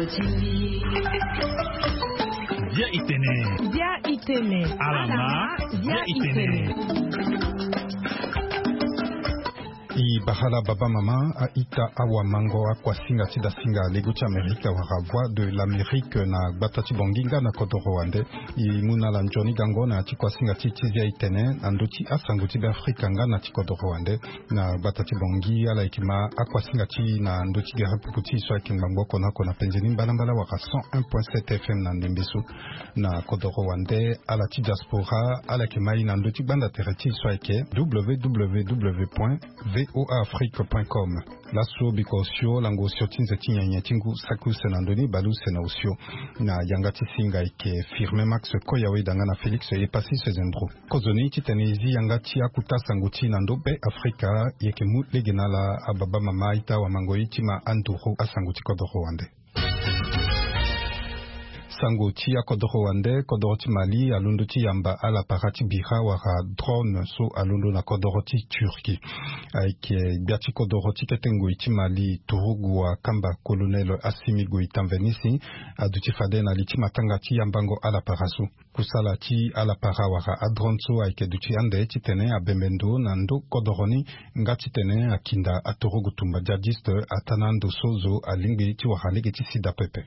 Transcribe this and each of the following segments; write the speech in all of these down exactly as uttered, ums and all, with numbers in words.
Bia itene. Bia itene. Alama. Bia itene. I bara la baba mama, a-ita, awamango, akuasinga ti dasinga lego ti Amerika wala Voix de l'Amérique na gbata ti Bangui nga na kodoro wande. I mu na ala nzoni gango na ya ti kuasinga ti ti Bia itene na ndö ti asango ti Beafrika nga na ti kodoro wande. Na gbata ti Bangui, ala yeke ma akuasinga ti na ndö ti gere pupu ti e so ayeke ngbangbo oko na oko na penze ni mbalambala wala cent un point sept F M na ndembe so. Na kodoro wande, ala ti diaspora, ala yeke ma e na ndö ti gbanda tere ti e so ayeke W W W point V O A Afrique point com. Laso biko osio lango osio ti nze ti nyenye ti ngu saki use na ndö ni bale use na osio. Na yanga ti singa ayeke Firmin Max Koya Weda nga na Félix Epassis Sezembro. Kozoni titene e zi yanga ti akuta sango ti e na ndö Be Afrika, e yeke mu lege na ala ababa mama a-ita awamango, e ti ma anduru asango ti kodoro wande. Sango ti akodoro wande, kodoro ti Mali alondo ti yamba ala para ti bira wala drone so alondo na kodoro ti Turquie. Ayeke gbia ti kodoro ti kete ngoi ti Mali, turugu wakamba colonel Assimi Goïta Mvenisi, aduti fade na li ti matanga ti yambango ala para so. Kusala ti ala para wala adrone so ayeke duti ande titene abembe ndo na ndö kodoro ni, nga titene akinda aturugu tumba djihadiste ataa na ando so zo alingbi ti wara lege ti sida pepe.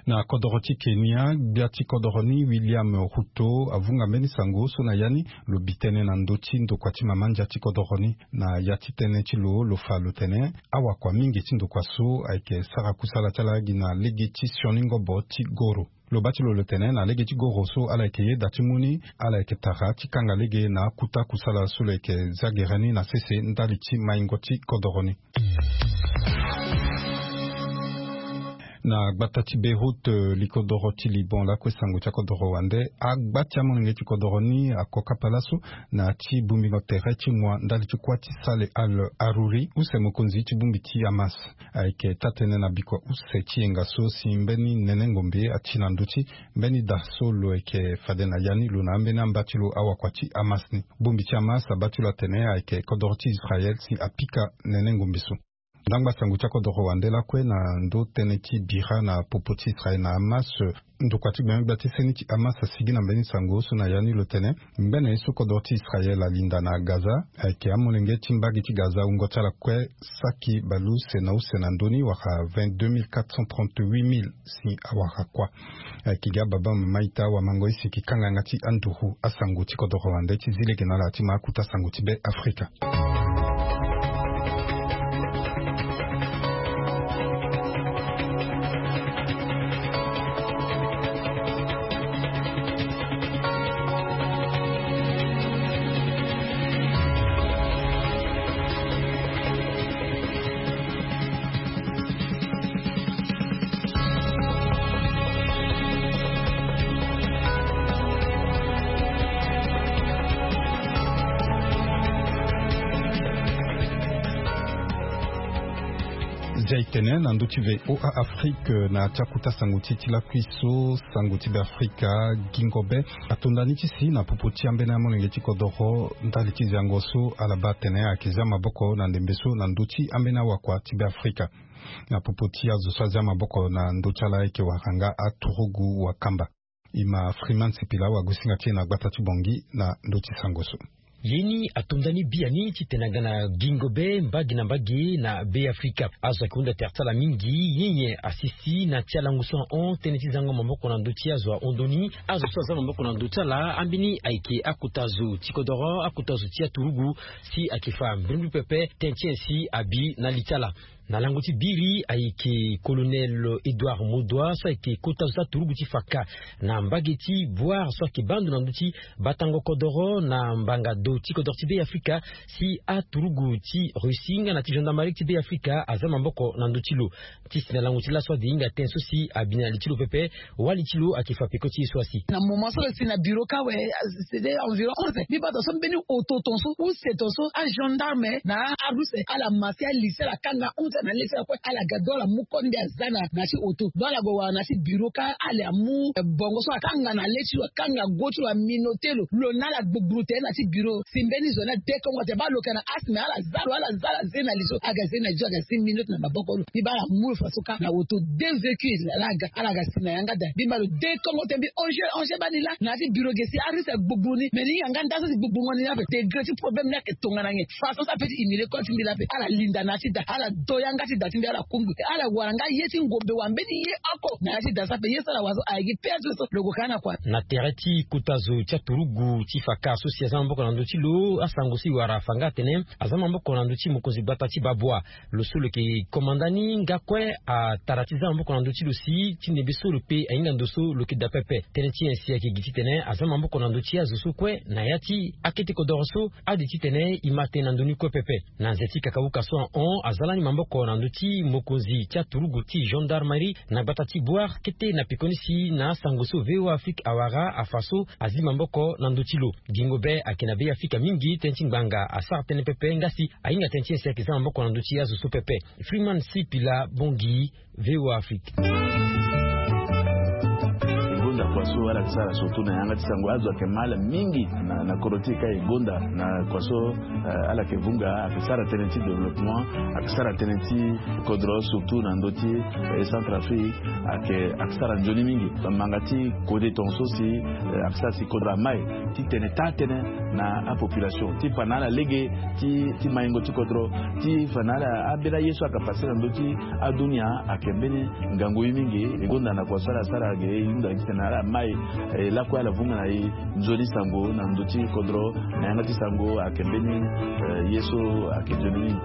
Na kodoro ti Kenya, gbia ti kodoro ni William Ruto avunga mbeni sango so na ya ni lo bi tënë na ndö ti ndokua ti mama ndia ti kodoro ni. Na ya ti tënë ti lo, lo fa lo tene awakua mingi ti ndokua so ayeke sara kusala ti ala gi na lege ti sioni ngobo ti goro. Lo baa ti lo lo tene na lege ti goro so ala yeke yeda ti mu ni, ala yeke tara ti kanga lege na akuta kusala so lo yeke za gere ni na sese ndali ti maingo ti kodoro ni. Na gbata ti Beyrouth, eh, likodoro ti Liban lakue sango ti akodoro wande, agba ti amolenge ti kodoro ni ako kapa laso na ti bongbingo tere ti mua ndali ti kuâ ti Saleh Al-Arouri, use mokonzi ti bongbi ti Hamas. Ayeke taa-tënë na bikua use ti yenga so si mbeni nene ngombe ati na ndö ti mbeni da so lo yeke fade na ya ni lo na ambeni amba ti lo awakua ti Hamas ni. Bongbi ti Hamas abaa ti lo atene ayeke kodoro ti Israel si apika nene ngombe so. Ndangba sango ti akodoro wande lakue na ndö tënë ti bira na popo ti Israel na Hamas. Ndokua ti gbengbe gbia ti seni ti Hamas asigi na mbeni sango so na ya ni lo tene ngbene ye so kodoro ti Israel alinda na Gaza ayeke amolenge ti mbage ti Gaza wungo ti ala kue saki baleuse na use na ndö ni wala vingt-deux mille quatre cent trente-huit mille si awara kuâ. Ayeke gi ababa mama a-ita awamango, e siki kanganga ti anduru asango ti kodoro wande ti zi lege na ala ti ma akuta sango ti Be Afrika. Zia e tene na ndö ti V O A Afrique na ti akuta sango ti e ti lakui so, sango ti Be Afrika, gingo be atonda ni ti si na popo ti ambeni amolenge ti kodoro ndali ti ziango so ala baa atene ayeke zia maboko na ndembe so na ndö ti ambeni awakua ti Be Afrika. Na popo ti azo so azia maboko na ndö ti ala ayeke wara nga aturugu wakamba. E ma Freeman Sipila wagosinga ti e na gbata ti Bangui na ndö ti sango so. Ye ni atonda ni biani titene aga na gingo be mbage na mbage na Be Afrika. Azo ayeke hunda tere ti ala mingi, nyen nyen asisi na ti alango so ahon tënë ti zango maboko na ndö ti azo ahondo ni. Azo so azia maboko na ndö ti ala, ambeni ayeke akota zo ti kodoro, akota zo ti aturugu, si ayeke fa mbrimbri pepe tënë ti nyen si abi na li ti ala. Na lango ti biri ayeke colonel Edouard Modoua so ayeke kota zo ti aturugu ti fa ka na mbage ti Bouar so ayeke baa ndo na ndö ti batango kodoro na mbanga do ti kodoro ti Be Afrika, si aturugu ti Russie nga na ti gendarmerie ti Be Afrika azia maboko na ndö ti lo. Ti si na lango ti laso ade hinga tënë so si abi na li ti lo pepe. Wali ti lo ayeke fa peko ti e so asi. Na moment so lo si na bureau ka awe, c'était environ onze. Mbi baa tongaso mbeni oto tongaso use tongaso agendarme na aruse ala ma si ali si ala kanga. Na le ti ala kue ala ga do ala mu kode mbi aza na na ti auto do ala gue wara na ti bureau ka ala amu bongo so akanga na le ti lo akanga go ti lo aminote lo lo na ala gbugburu tere na ti bureau si mbeni zo ni adekongo tere baa lo yeke na asthme ala za lo ala za ala ze na li so aga ze na li so aga si minute na maboko lo mbi baa ala mu lo faso ka na auto deux véhicules ala ga ala ga si na yanga daa mbi baa lo dekongo tere mbi ange ange baa ni laa na ya ti bureau ge si arisque agbugburu ni mais ni yanga nda so si gbugburu ngo ni ni ape degre ti problème ni ayeke tongana nyen faso so ape ti humilier kode ti mbi laa ape ala linda na ya ti daa ala do yanga ti daa ti mbi ala kundu ala wara nga ye ti ngombe wa mbeni ye oko na ya ti daa so ape ye so ala wara so aye gi pe azo so lo gue ka na kua. Na tere ti kota zo ti aturugu ti faka so si aza maboko na ndö ti lo asango so e wara afa nga atene aza maboko na ndö ti mokonzi gbata ti babua. Lo so lo yeke komanda ni nga kue atara ti za maboko na ndö ti lo si ti ndembe so lo pe ahinga ndo so lo yeke daa pepe. Tënë ti nyen si ayeke gi titene aza maboko na ndö ti azo so kue na ya ti akete kodoro so ade titene e ma tënë na ndö ni kue pepe. Na nze ti kakauka so ahon aza lani maboko na ndö ti mokonzi ti aturugu ti gendarmerie na gbata ti boire kete na pekoni si na asango so voa afrique awara afa so azi maboko na ndö ti lo. Gingo be ayeke na be afrika mingi tënë ti ngbanga asara tënë pepe nga si ahinga tënë ti nyen si ayeke za maboko na ndö ti azo so pepe. Freeman sipila bongi. Voa afrique. Gonda kua so ala yeke sara surtout na yanga ti sango azo ayeke ma ala mingi na na kodro ti e ka e gonda na kua so ala yeke vunga ayeke sara tënë ti développement ayeke sara tënë ti kodro surtout na ndö ti centrafrique ayeke ayeke sara nzoni mingi. Manga ti kode tongaso si ayeke sara si kodro amai titene taa tënë na apopulation ti fa na ala lege ti maingo ti kodro ti fa na ala ambeni aye so ayeke pase na ndö ti adunia ayeke mbeni ngangu ye mingi. E gonda na kua so ala sara ge e hunda titene ala mai e lakue ala vunga na e nzoni sango na ndö ti kodro na yanga ti sango ayeke mbeni ye so ayeke nzoni mingi.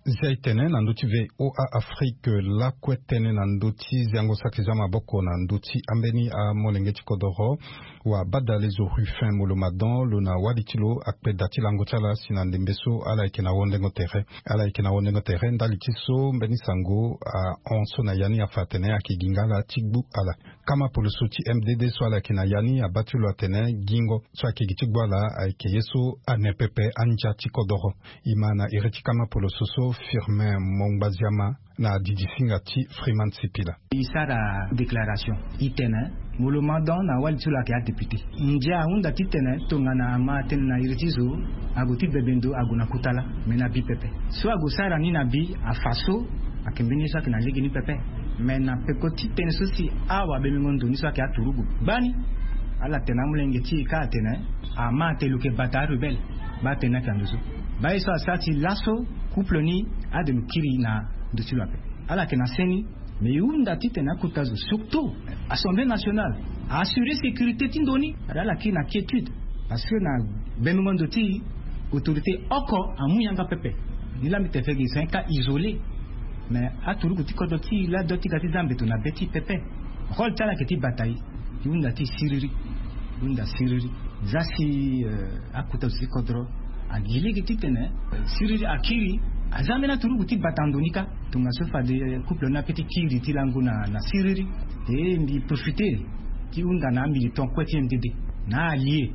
Zia e tene na ndö ti voa afrique lakue tënë na ndö ti ziango so ayeke za maboko na ndö ti ambeni amolenge ti kodoro. Wa badale zo rufin molomadon lo na wali ti lo akpe da ti lango ti ala si na ndembe so ala yeke na wondengo tere ala yeke na wondengo tere ndali ti so mbeni sango ahon so na ya ni afa atene ayeke gi nga ala ti gbu ala. Kama poloso ti mdd so ala yeke na ya ni abaa ti lo atene gingo so ayeke gi ti gbu ala ayeke ye so ane pepe andia ti kodoro. E ma na iri ti kama poloso so firmin mongbaziama na didi singa ti freeman sipila. E sara déclaration e tene molomadon na wali ti lo ayeke adéputé. Ndia ahunda titene tongana ama tënë na iri ti zo ague ti bebe ndo ague na kuta laa me na bi pepe. So ague sara ni na bi afa so ayeke mbeni ye so ayeke na lege ni pepe. Me na peko ti tënë so si awabemengo ndo ni so ayeke aturugu gbani ala tene amolenge ti e kâ atene ama te lo yeke bata arubele. Baa tënë ni ayeke na ndo so. Baa ye so asara ti laso couple ni ade lo kiri na ndo ti lo ape. Ala yeke na se ni. Mais e hunda titene akota zo surtout assemblée nationale a assurer sécurité ti ndo ni. Ala kiri na quiétude parce que na bemengo ndo ti autorité oko amu yanga pepe. Ni laa mbi te fe ge c'est un cas isolé. Mais aturuku ti kodro ti e laa do ti ga ti za mbeto na be ti e pepe. Rôle ti ala yeke ti bata e. E hunda ti e siriri. E hunda siriri. Za si akota zo ti kodro agi lege titene siriri akiri. Aza ambeni aturuku ti bata ndo ni kâ. Tongaso fade couple ni ape ti kiri ti lango na na siriri. E mbi profiter ti hunda na amilitant kue ti mdd na aallié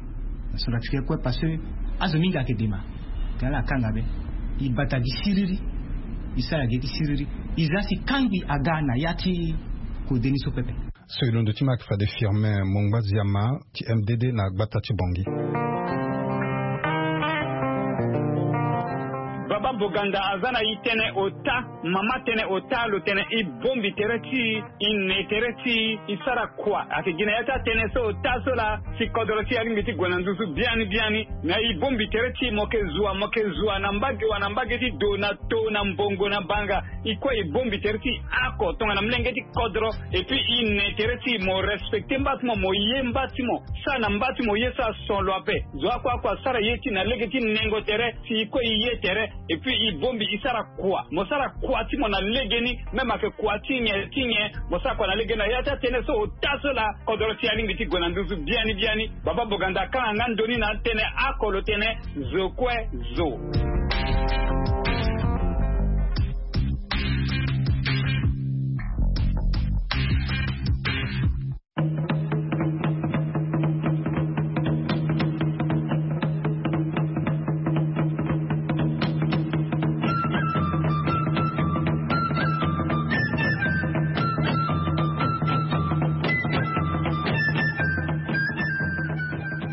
na centrafricain kue parce que azo mingi ayeke dema. Tena ala kanga be. E bata gi siriri. E sara gi ye ti siriri. E za si kangbi aga na ya ti kode ni so pepe. So e londo ti ma ayeke fade firmin mongbaziama ti mdd na gbata ti bongi. Baba boganda aza na e tënë ota. Mama tënë ota lo tene e bombi tere ti e e ne tere ti e e sara kua ayeke gi na ya ti atënë so ota so laa. Si kodro ti e alingbi ti gue na nduzu biani biani. Na e bombi tere ti e mo yeke zua mo yeke zua na mbage wa na mbage ti do na to na mbongo na banga. E kue e bombi tere ti e ako tongana molenge ti kodro. Epui e ne tere ti e mo respecter mba ti mo mo ye mba ti mo. Sara na mba ti mo ye so ason lo ape. Zo akue akue asara ye ti e na lege ti nengo tere. Si e kue e ye tere. Epui e bombi e sara kua mo sara kua ti mo na legeni. Même ayeke kua ti nyen ti nyen mo sara kua na legeni na ya ti atënë so ota so laa. Kodoro ti e alingbi ti gue na nduzu biani biani. Baba boganda akanga nga ndo ni na atënë ako lo tene. Zo kue zo.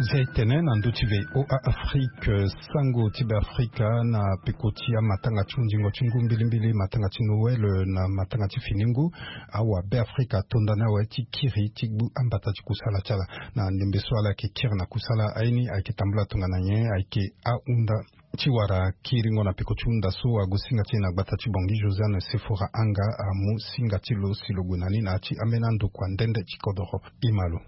Tene na ndö ti VOA Afrique, sango ti Beafrika na peko ti amatanga ti hundingo ti ngu mbilimbili, matanga ti Noël na matanga ti fini ngu. Awa Beafrika atonda ni awe ti kiri ti gbu ambata ti kusala ti ala. Na ndembe so ala yeke kiri na kusala aye ni ayeke tambula tongana nyen, ayeke ahunda ti wara kiringo na peko ti hunda so ague singa ti e na gbata ti Bangui. Josiane Sefora Anga amu singa ti lo si lo gue na ni na ya ti ambeni andokua nde nde ti kodoro. Ima lo.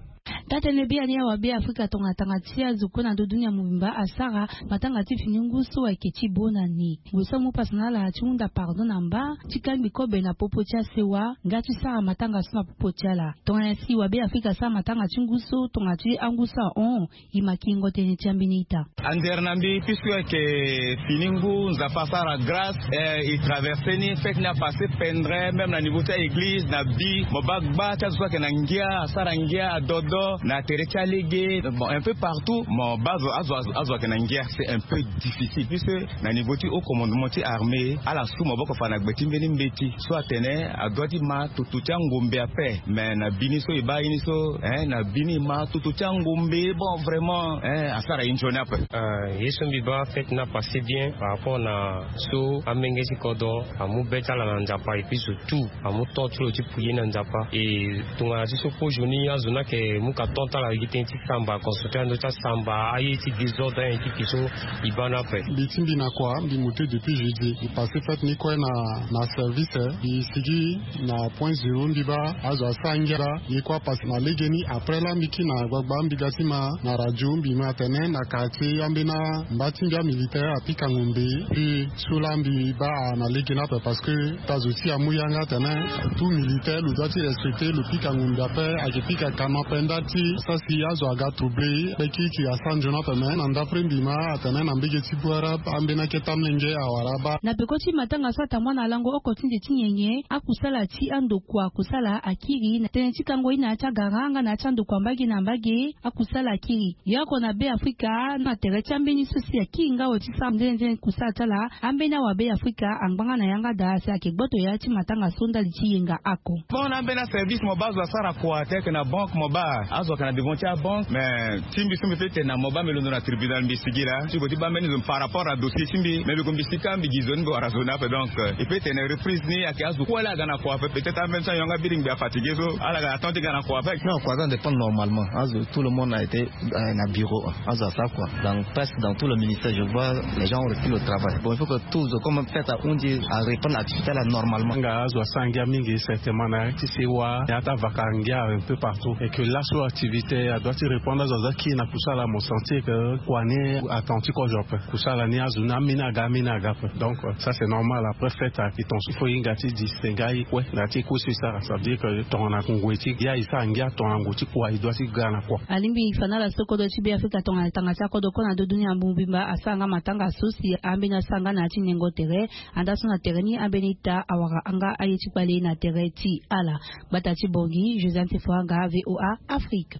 Taa-tënë biani awa Beafrika tongana tanga ti azo kue na ndö dunia mobimba asara matanga ti fini ngu so ayeke ti bo na ni. Gue so amu pasa na ala ti hunda pardon na mba ti kangbi kobe na popo ti asewa nga ti sara matanga so na popo ti ala. Tongana si wa Beafrika asara matanga ti ngu so tongana ti angu so ahon, e ma kiringo tënë ti ambeni ita. Andere na mbi, puisque ayeke fini ngu, Nzapa asara grâce, eh, e traverse ni, fête ni apasse pendre, même na niveau ti a-église, na bi, mo baa gba ti azo so ayeke na ngia, asara ngia, adodo, na tere ti alege, bon, un peu partout, mo baa azo, azo, azo, azo ayeke na ngia, c'est un peu difficile, puisque na niveau ti haut commandement ti armée, ala su maboko fa na gbe ti mbeni mbeti, so atene, adoit ti ma tutu ti angombe ape, mais na bi ni so e baa ye ni so, hein, na bi ni e ma tutu ti angombe, bon, vraiment, hein, asara ye nzoni ape. Ah, ye so mbi baa fête ni apasse bien par rapport na so amenge ti kodro amu be ti ala na Nzapa, et puis surtout amu temps ti lo ti prier na Nzapa. Et tongana ti so kozo ni azo ni ayeke mu ka temps ti ala gi tënë ti samba, concentré na ndö ti asamba, aye ti désordre, aye ti ki so e baa ni ape. Mbi ti mbi na kua, mbi mu te depuis jeudi. Mbi passe fête ni kue na, na service, eh. Mbi sigi na point zéro, mbi baa azo asara ngia. Ye kue apasse na legeni. Après laa mbi kiri na gbagba, mbi ga ti ma na radio, mbi ma atene na quartier ambeni amba ti mbi amilitaire apika ngombe. Puis so laa mbi baa na legeni ape, parce que ta zo ti e amu yanga atene tout militaire lo doit ti respecter, lo pika ngombe ape, ayeke pika kama ape, nda ti sara si azo aga trouble, pe kirikiri asara nzoni ape. Mais na ndapre mbi ma atene na mbege ti Bouarab, ambeni akete amolenge awara abaa. Na peko ti matanga so atambula na lango oko ti nze ti nyenye, akusala ti andokua kusala akiri na tënë ti kango ye na ya ti agara nga na ya ti andokua mbage na mbage, akusala akiri. Ye oko na Beafrika, na tere ti ambeni so si akiri nga awe ti sara nde nde kusala ti ala, ambeni awa Beafrika angbanga na yanga daa si ayeke gboto ya ti matanga so ndali ti yenga oko. Bon, na ambeni aservice mo baa azo asara kua, tel que na banque mo baa azo ayeke na devant ti abanque, mais ti mbi so mbi peut tene na mo baa mbi londo na tribunal, mbi sigi laa ti gue ti baa mbeni zo par rapport na dossier ti mbi, mais mbi gue mbi sika mbi gi zo ni mbi wara zo ni ape. Donc, euh, e peut tene reprise ni ayeke azo kue laa aga na kua ape, peut-être ambeni so ayonga biri ngbe afatige so ala ga na temps ti ga na kua ape. Non, kua aza dépend normalement. Azo, tout le monde a été, euh, na bureau, hein. Azo asara kua. Dans, presque dans tout le ministère, je vois les gens ont repris le travail. Bon, il faut que tout zo comme fête ahundi areprendre activité là normalement. Nga azo asara ngia mingi certainement na ya ti sewa, ya ti avaka ngia un peu partout. Et que laso activité adoit ti reprendre, azo aza kiri na kusala, mo sentir que kua ni attendu ti kozo ape. Kusala ni azo ni ameni aga, ameni aga ape. Donc, euh, ça c'est normal. Après fête ayeke ton so, il faut hinga ti distinguer aye kue na ya ti kue so e sara. Ça veut dire que tongana ngoi ti ngia e sara ngia, tongana ngoi ti kua e doit ti ga na kua. Alingbi fa na ala so kodro ti Beafrika tongana tanga ti akodro kue na ndö dunia mobimba asara nga matanga so si ambeni asara nga na ya ti nengo tere. Andaa so na tere ni ambeni ita awara nga aye ti kpale na tere ti ala. Gbata ti Bangui, Josiane Sefora Anga, VOA Afrique.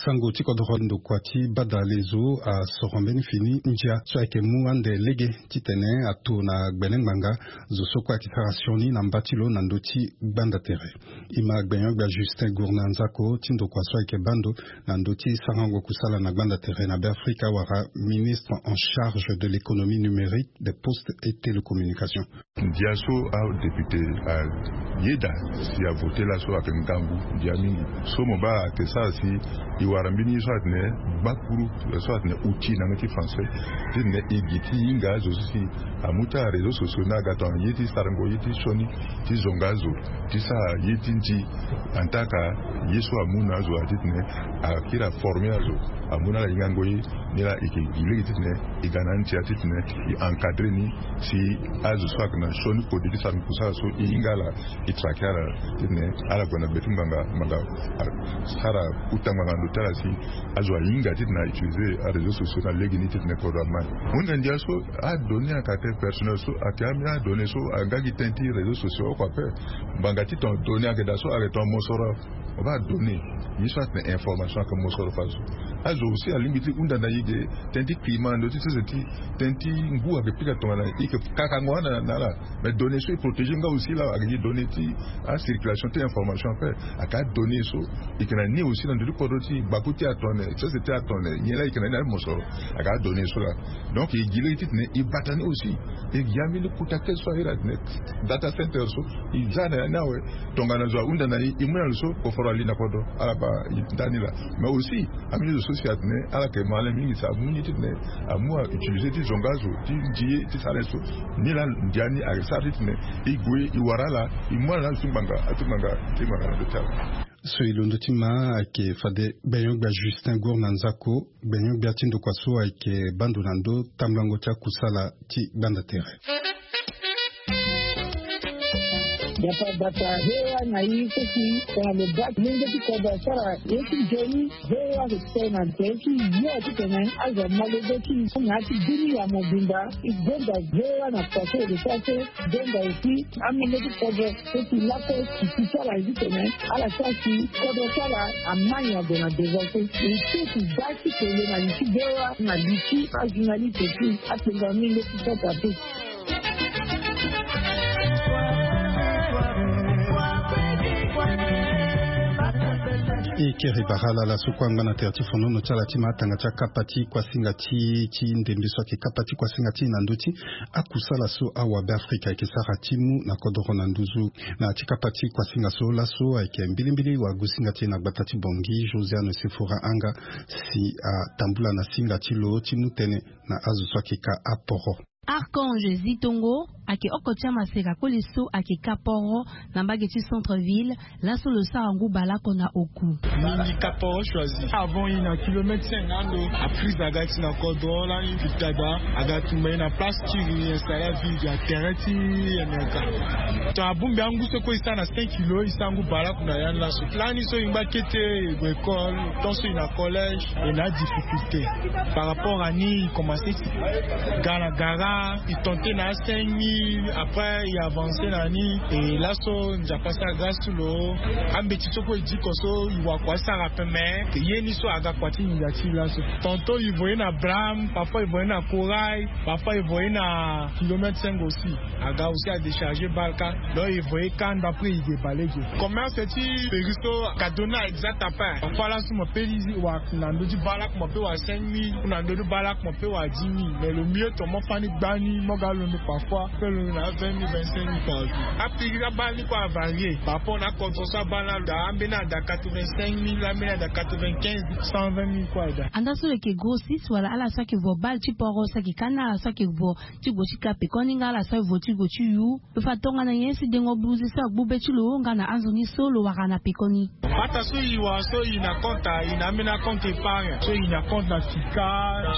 Sango ti kodro, ndokua ti badale zo asoro mbeni fini ndia so ayeke mu ande lege titene ato na gbene ngbanga zo so kue ayeke sara sioni na mba ti lo na ndö ti gbanda tere. E ma gbenyo-gbia Justin Gourna Nzako ti ndokua so ayeke baa ndo na ndö ti sarango kusala na gbanda tere na Beafrika wala ministre en charge de l'économie numérique, des postes et télécommunications. Ndia so adéputé ayeda si avote laso ayeke ngangu ndia mingi. So mo baa ayeke sara si e wara mbeni ye so atene gbakuru so atene outil na yanga ti français, titene e gi ti hinga azo so si amu ti aréseau sociaux ni aga tongana ye ti sarango ye ti sioni, ti zonga azo, ti sara ye ti nzi. Antaka ye so amu na azo atitene akiri aforme azo, amu na ala hingango ye. Ni laa e yeke gi lege titene e ga na antia titene e encadre ni si azo so ayeke na sioni kode ti sara kusala so e hinga ala, e traquer ala titene ala gue na gbe ti ngbanga, ngbanga asara uta ngbanga na ndo ti ala si azo ahinga titene autiliser aréseau sociaux na lege ni titene kodro ama ni. Hunde ndia so adonnée à caractère personnel so ayeke ambeni adonnée so aga gi tënë ti réseau sociaux oko ape. Ngbanga ti ton données ayeke daa so ayeke ton mosoro. Mo baa données, ye so atene information ayeke mosoro fadeso. Azo aussi alingbi ti hunda na e ge, tënë ti climat na ndö ti sese ti tënë ti ngu ayeke pika tongana e yeke kakango wana na ala. Mais données so e protéger nga aussi la, ayeke gi données ti acirculation ti information ape. Ayeke adonnées so e yeke na ni aussi na ndö ti kodro ti e, gbaku ti atone, sese ti atone, nyen la e yeke na ni na amosoro. Ayeke adonnées so la. Donc e gi lege titene e bata ni aussi. E gi ambeni kota kese so ahiri atene data center so, e za na ya ni awe. Tongana zo ahunda na e, e mu na lo so koforo ali na kodro, ala baa e ndani laa. Mais aussi ambeni zo so si atene ala yeke malin mingi, si amu ni titene amu autiliser ti zonga azo ti ndi ye ti sara ye so. Ni laa ndia ni asara titene e gue e wara ala, e mu ala na azo ti ngbanga, azo ti ngbanga ti ngbanga na ndö ti ala. So e londo ti ma ayeke fade gbenyo-gbia Justin Gour na nzako. Gbenyo-gbia ti ndokua so ayeke baa ndo na ndö tambulango ti akusala ti gbanda tere. Dapa bata V O A na i so si tongana lo baa molenge ti kodro asara ye ti nzoni, V O A ayeke sara na tere ti yo titene azo amolenge ti i na ya ti bini ya mobimba. E gonda V O A na kua so e lo sara so. Gonda aussi amolenge ti kodro so si lakue si ti ala ye titene ala sara si kodro ti ala amai ague na devant so. E ti si baa ti kele na li ti V O A na li ti ajournaliste ti apengo amolenge ti sota te. E kere bara ala ala so kue angba na tere ti fonono ti ala ti ma atanga ti akapa ti kuasinga ti ti ndembe so ayeke kapa ti kuasinga ti e na ndö ti akusala so awabe Afrika ayeke sara ti mu na kodoro na nduzu. Na ya ti kapa ti kuasinga so laso ayeke mbilimbili wagusinga ti e na gbata ti Bangui, Josiane Sefora Anga, si atambula na singa ti lo ti mu tënë na azo so ayeke ka aporo. Archange Zitongo ayeke oko ti amaseka koli so ayeke ka poro na mbage ti centre ville. Laso lo sara ngu baleoko na oku. Mingi ka poro choisi avant e na kilomètre cinq ando. Aprise aga ti na kodro lani fifita da aga tumba e na place ti e installe avion ya terrain ti Amerika. Ton abongbi angu so kue e sara na cinq kilo e sara ngu baleoko na ya ni laso. Lani so e ngba kete e gue école, tant so e na collège e na adifficulté. Par rapport à ni e commencé ga na gara e tente na a cinq mille, après e avancé na ni. E laso Nzapa asara grâce ti lo. Ambeti so kue e diko so e wakua asara ape mais ye ni so aga kua ti nginza ti e laso. Tantôt e voyé na Brame, parfois e voyé na Corail, parfois e voyé na kilomètre cinq aussi. Aga aussi adéchargé bale kâ. Donc e voyé kâ ndo après e ge baleoko. Commerce ti péri so ka donné exact ape. Parfois laso mo pe li wara na ndö ti baleoko mo pe wara cinq mille, na ndö ti baleoko mo pe wara dix mille. Mais le mieux ton mo fani gbani mo ga londo parfois pe londo na vingt mille, vingt-cinq mille par jour. Apéri abale ni kue avarié par rapport na akodro so abale ni ada, ambeni ada quatre-vingt-cinq mille, ambeni ada quatre-vingt-quinze, cent vingt mille kue ada. Anda so lo yeke grossiste wala ala so ayeke vo bale ti poro so ayeke ka na ala so ayeke vo ti gue ti ka pekoni nga ala so aye vo ti gue ti yu. Lo fa tongana nyen si dengo buze so agbu be ti lo nga na anzoni so lo wara na pekoni. Bata so e wara so e na compte, e na ambeni compte épargne so e na compte na fika, na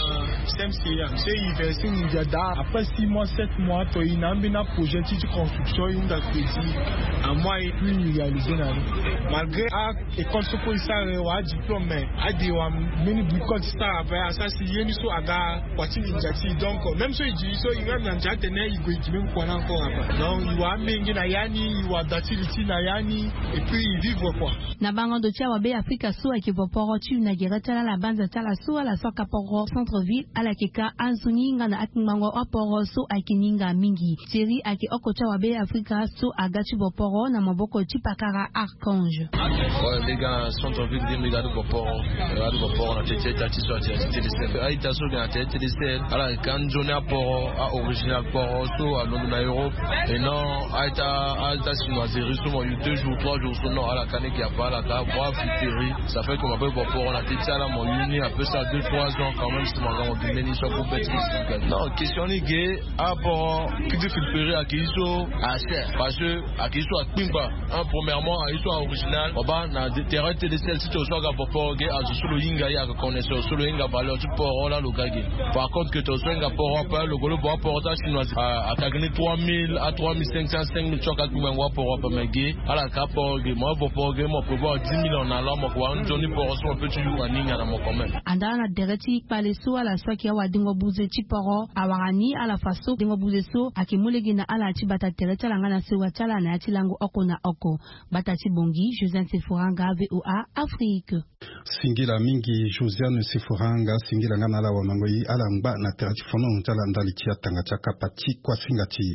C M C A so e verser nginza daa. Après six mois, sept mois to e na ambeni projet ti ti construction e hunda crédit. Amois e puis e réaliser na ni. Malgré a école so kue e sara e wara adiplôme mais ade e wara mbeni bricole ti sara ape asara si ye ni so aga kua ti nginza ti e. Donc même so e gi so e même na ndia atene e gue e gi même kua ni encore ape. Donc e wara amenge na ya ni, e wara da ti li ti na ya ni. Et puis e vivre kua. Na bango ndo ti awabe Afrika so ayeke vo poro ti e na gere ti ala na banza ti ala so ala so aka poro centre ville ala yeke ka anzoni nga na akpingbango aporo so ayeke ninga mingi. Thierry ayeke oko ti awabe Afrika so aga ti vo poro na maboko ti pakara Archange. Ouais, mbi ga na centre ville ge mbi ga ti vo poro. Mbi ga ti vo poro na tete ti ita ti so ati ati télécell. A-ita so ge na tete télécell ala yeke anzoni aporo a original poro so alondo na Europe. Et non a-ita, a-ita chinoiserie so mo yu deux jours, trois jours so non, ala ka ni ge ape ala ka vo afriteri. Ça fait que mo ape vo poro na tete ti ala mo yu ni ape sara deux, trois ans quand même si mo aga mo bi mbeni so ague be ti mo si. Non, question ni ge aporo ki ti filtrer ayeke ye so acher parce que ayeke ye so akpingba. Un, premièrement ayeke ye so a original. Mo baa na terrain télécell ti to so aga vo poro ge azo so lo hinga ye ayeke connaisseur so lo hinga valeur ti poro laa lo ga ge. Par contre que to so hinga poro ape lo gue lo vo aporo ti achinois, ayeke ni trois mille a trois mille cinq cents, cinq mille ti ayeke akpingbango aporo ape mais ge ala yeke aporo ge mo avo poro ge mo prévoir dix mille en allant mo yeke wara nzoni poro so mo pe ti yu aninga na mo quand même. Anda na dere ti kpale so ala so ayeke awadengo buze ti poro awara ni ala fa so dengo buze so Ayeke mu lege na ala ti bata tere ti ala nga na sewa ti ala na ya ti lango oko na oko. Bata ti bongi, Josiane Sephora nga, VOA Afrique. Singila mingi Josiane Sephora nga, singila nga na ala wamango ye ala ngba na tere ti fono ti ala ndali ti atanga ti akapa ti kuasinga ti e.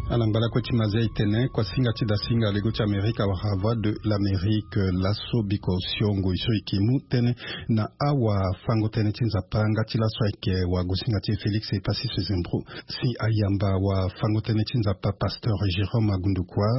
Ala ngba lakue ti mazia e tene kuasinga ti dasinga lego ti Amerika wala Voix de l'Amérique laso biko siongo e so e yeke mu tënë na awafango-tënë ti Nzapa nga ti laso ayeke wagosinga ti e Félix Epassis Zembro si ayamba wafango-tënë ti Nzapa pasteur Jérôme Agundukua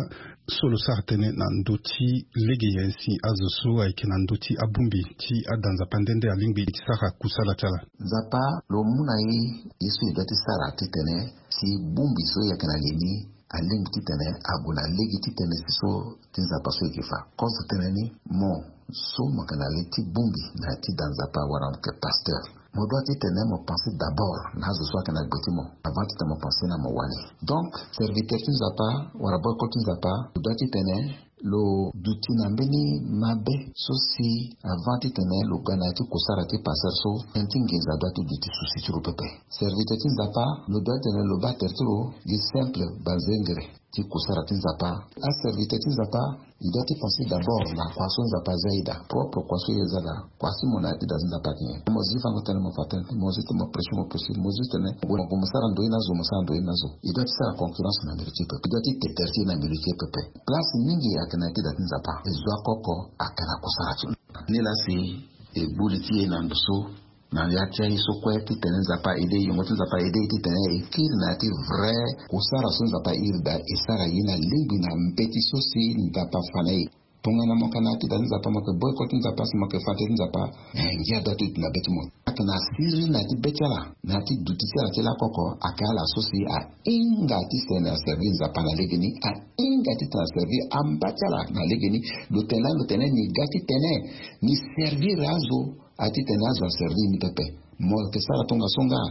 so lo sara tënë na ndö ti lege nyen si azo so ayeke na ndö ti abongbi ti ada Nzapa nde nde alingbi ti sara kusala ti ala. Nzapa lo mu na e ye so e doit ti sara titene si bongbi so e yeke na li ni alingbi titene ague na lege ti tënë si so ti Nzapa so e yeke fa. Kozo tënë ni, mo so mo yeke na li ti bongbi na ya ti da Nzapa wala mo yeke pasteur, mo doit titene mo pense d'abord na azo so ayeke na gbe ti mo avant titene mo pense na mo wali. Donc serviteur ti Nzapa wala boycott ti Nzapa, lo doit titene lo duti na mbeni mabe so si avant titene lo ga na ya ti kusara ti pasteur so, tënë ti nginza doit ti duti souci ti lo pepe. Serviteur ti Nzapa, lo doit titene lo baa tere ti lo gi simple banzengere ti kusara ti Nzapa. Aserviteur ti Nzapa, e doit ti pense d'abord na kua so Nzapa aza e daa, propre kua so e za daa, kua si mo na ya ti da ti Nzapa ayeke nyen. Mo zi fango tënë mo fa tënë, mo zi ti mo prêcher mo prêcher, mo zi titene mo gue mo sara ndoye na azo, mo sara ndoye na azo. E doit ti sara concurrence na milieu ti e pepe, e doit ti te tere ti e na milieu ti e pepe. Place mingi ayeke na ya ti da ti Nzapa, e zo akoko ayeke na kusara ti lo. Ni laa si e gbu li ti e na ndo so na ya ti aye so kue titene Nzapa aide e, yongo ti Nzapa aide e titene e kiri na ya ti vrai kusara so Nzapa airi daa, e sara ye na lingbi na mbeti so si Nzapa afa na e. Tongana mo yeke na ya ti da ti Nzapa, mo yeke boycott ti Nzapa si mo yeke fa tënë ti Nzapa, eh, ngia doit ti duti na be ti mo. Ayeke na siriri na ya ti be ti ala, na ya ti duti ti ala ti lakoko, ayeke ala so si ahinga titene aservi Nzapa na legeni, ahinga titene aservi amba ti ala na legeni. Lo tene lani, lo tene ni ga titene ni servir azo. A ti tene azo aservi ni pepe. Mo yeke sara tongaso nga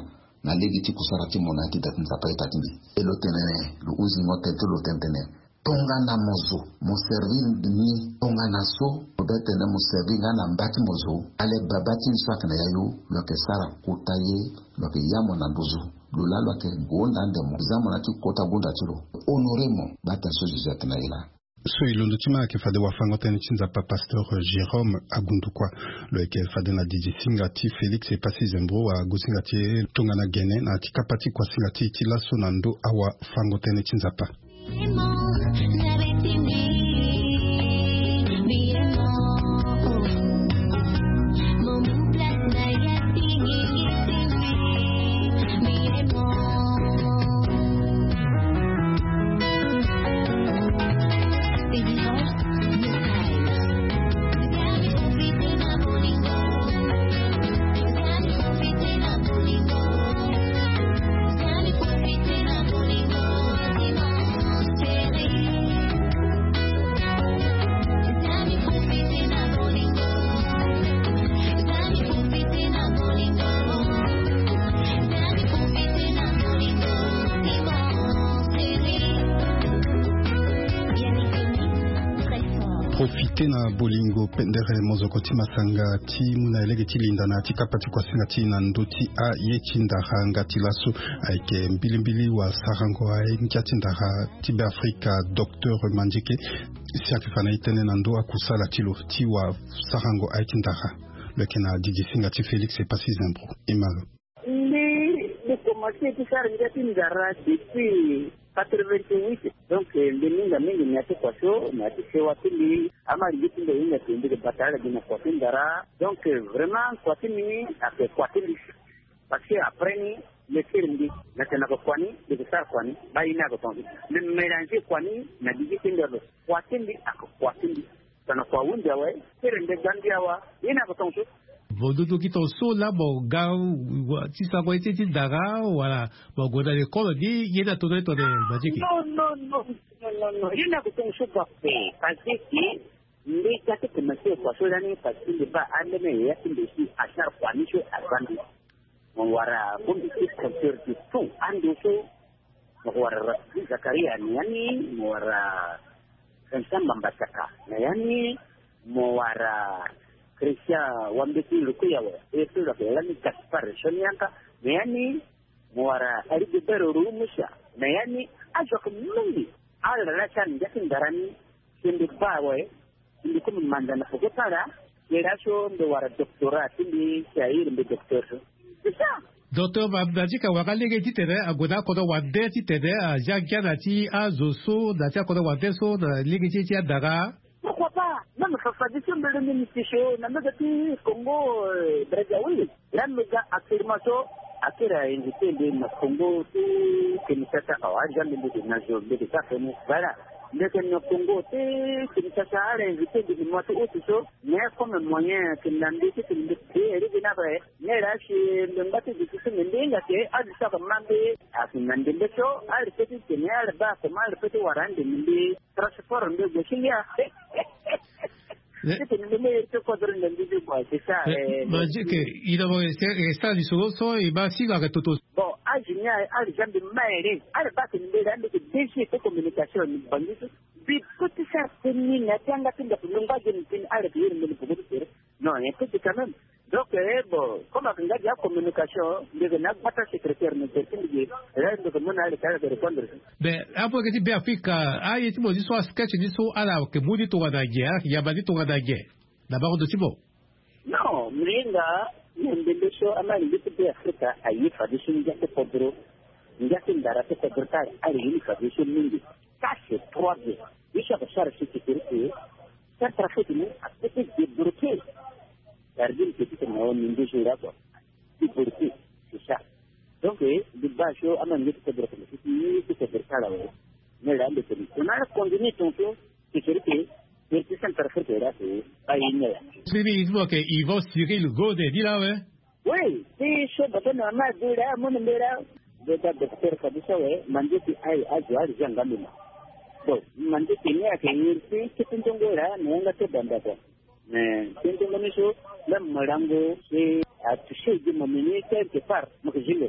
na lege ti kusara ti mo na ya ti da ti Nzapa ita ti ni. E lo tene lo hunzingo tene ti lo tene tene tongana mo zo mo servi ni tongana so mo be tene mo servi nga na mba ti mo zo. Ale baba ti ni so ayeke na yayu lo yeke sara kota ye, lo yeke ya mo na nduzu. Lo laa lo yeke gonda ande mo za mo na ya ti kota gonda ti lo. Honore mo. Bata so Jésus ayeke na ye laa. So e londo ti ma ayeke fade wafango-tënë ti Nzapa pasteur Jérôme Agundukua. Lo yeke fade na didi singa ti Félix Epassi Zembro wagosinga ti e tongana gene na ya ti kapa ti kuasinga ti e ti laso na ndo awafango-tënë ti Nzapa. Profite na bolingo pendere mozoko ti masanga ti mu na elege ti linda na ya ti kapa ti kuasinga ti na ndö ti aye ti ndara nga ti laso. Ayeke mbilimbili wasarango aye ngia ti ndara ti Beafrika docteur Mandieke si ayeke fa na e tënë na ndö akusala ti lo ti wasarango aye ti ndara. Lo yeke na didi singa ti Félix Epassi Zembro. E ma lo. Mbi, mbi komanse ti sara ngia ti ndara depuis quatre-vingt-huit. Donc mbi hinga mingi na ya ti kua so, na ya ti sewa ti mbi. Ama lege ti mbi ahinga si mbi yeke bata ala gi na kua ti ndara. Donc vraiment kua ti mbi ni ayeke kua ti mbi. Parce que après ni, mbi kiri mbi na tene na yeke kua ni, mbi yeke sara kua ni, baa ye ni ayeke tongaso. Mbi mélanger kua ni na gigi ti mbi ado. Kua ti mbi ayeke kua ti mbi. Tongana kua ahunzi awe, kiri mbi ga mbi awa, ye ni ayeke tongaso. Vo dudu gi tongaso laa mo ga ti sarango ye ti ndara wala mo gue na lekolo ni, ye ni atono ye tongana Mandieke? Non, non, non, non, non, non. Ye ni ayeke tongaso ga ape. Parce que mbi ga ti commencer kua so lani parce que mbi baa ambeni yaya ti mbi si asara kua ni so aza mbi. Mo wara bongbi ti compteur de tout ando so. Mo wara Rafiki Zakaria ni yani, mo wara Samba Mbataka na ya ni, mo wara Christian Wambeti Lukuyawe, e so lo yeke lani Gaspard Sonianka, na ya ni mo wara Alidebero Rumusa, na ya ni azo ayeke mingi. Ala laa si ala ngia ti ndara ni, si mbi baa awe, si mbi kue mbi manda na peko ti ala. Kere aso mbi wara doctorat ti mbi, si ahiri mbi docteur so. C'est ça. Docteur Ma-, Madjika wara lege titene ague na akodro wande titene azia ngia na ti azo so na ti akodro wande so na lege ti e ti andara. Pourquoi pas? Même fa- fade so mbele ni mbi ti so na mbege ti Congo, euh, Brazzaville. Laa mbi ga actuellement so akiri a invité mbi na Congo ti Kinshasa awa, aza mbi mbi de na zo mbi de ka feni. Voilà. Mbi yeke na Congo ti Kinshasa, ala invité mbi na mois ti août so. Mais comme moyen ayeke na mbi titene mbi payé iri gi ni ape. Ni laa si mbi ngba ti duti so mbi mbi hinga ke azo so ayeke ma mbi ayeke na ndembe so, ala pe ti tene ala baa comment ala pe ti wara ande mbi transport mbi gue si ngia. Titene mbi mbi iri ti kodro na mbi mbi bua, c'est ça. Madjika, i na mo, e sara lisoro so e ma si lo ayeke toto. Bon, azo ni ala za mbi ma ere, ala baa tene mbi laa mbi yeke D G ti communication na Bangui so. Mbi peut ti sara tënë ni na ya ti yanga ti ndaku, mbi ngba azo ni tënë, ala yeke iri mbi na peko ti tere. Non, un peu quand même. Donc, eh, bon, comme ayeke nga gi acommunication, mbi yeke na agbata secrétaire na tere ti mbi ge, là mbi yeke mu na ala ti ala yeke répondre. Mais apo yeke ti Beafrika, aye ti mo ni so, asketch ni so, ala yeke mu ni tongana nyen, ala yeke yamba ni tongana nyen na bango ndo ti mo? Non, mbi hinga na ndembe so amalenge ti Beafrika aye fade so ngia ti kodro, ngia ti ndara ti kodro ti ala, ala ye ni fade so mingi. Ça c'est trois bien. Ye so ayeke sara so ti kiri ke Centrafrique ni apeut ti débloquer. Sardine ke ti tene na o ni nde so ira kua. Débloquer, c'est ça. Donc, eh, mbi baa so amalenge ti kodro ti, ti kodro ti ala awe. Mais là mbi tene tongana ala continue tongaso, ti kiri ke, ti Centrafrique ira ke, aye ni aya. Siriri mo ke Yvon Cyril Gode ni laa awe. Oui, ti so bata na ma de laa, mo na mbela. Mbi baa docteur fade so awe, Mandieki aye azo ala zia nga mbi ma. Bon, Mandieki ni ayeke iri ti kete nzongo laa na yanga ti banda kua. Mais kete nzongo ni so, même mo lango, e atouché gi mo meni quelque part, mo yeke zi lo.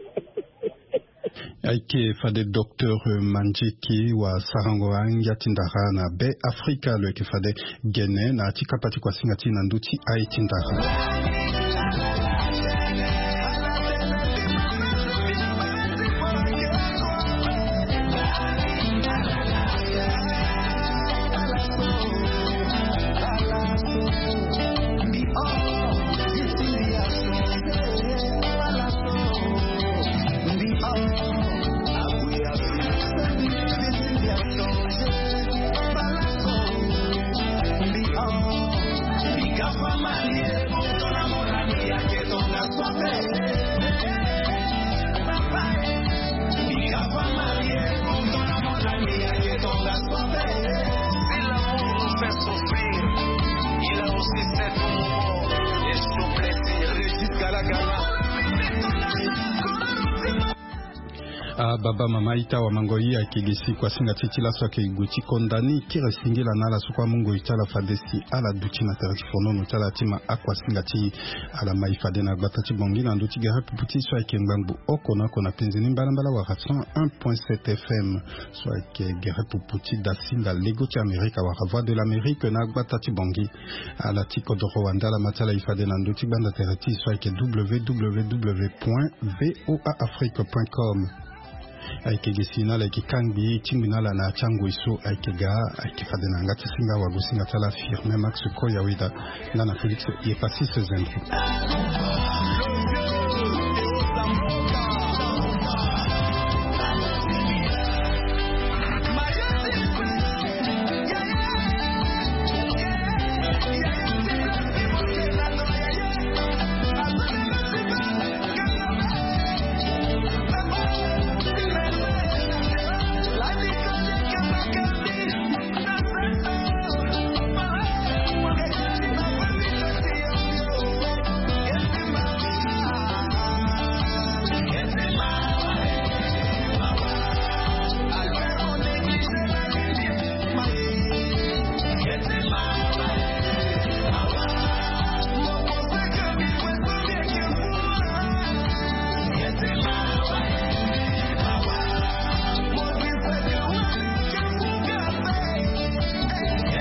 Ayeke fade docteur Mandieki wasarango angia ti ndara na Beafrika, lo yeke fade gene na ya ti kapa ti kuasinga ti e na ndö ti aye ti ndara. Ah, baba, mama, ita, wa mango, i ayeke ge si kuasinga ti e ti laso ayeke gue ti konda ni. Kiri singila na ala so kue amu ngoi ti ala fade si ala duti na tere ti fonono ti ala ti ma akuasinga ti e. Ala ma e fade na gbata ti Bangui na ndö ti gere pupu ti e so ayeke ngbangbo oko na oko na penze ni mbalambala wala cent un point sept F M. So ayeke gere pupu ti dasinga lego ti Amerika wala Voix de l'Amérique na gbata ti Bangui. Ala ti kodoro wande ala ma ti ala e fade na ndö ti gbanda tere ti e so ayeke W W W point V O A Afrique point com. Ayeke ge si na ala yeke kangbi tingbi na ala na ya ti angoi so ayeke ga, ayeke fade na yanga ti singa wagosinga ti ala Firmin Max Koyaweda nga na Félix Yepasis Zendro.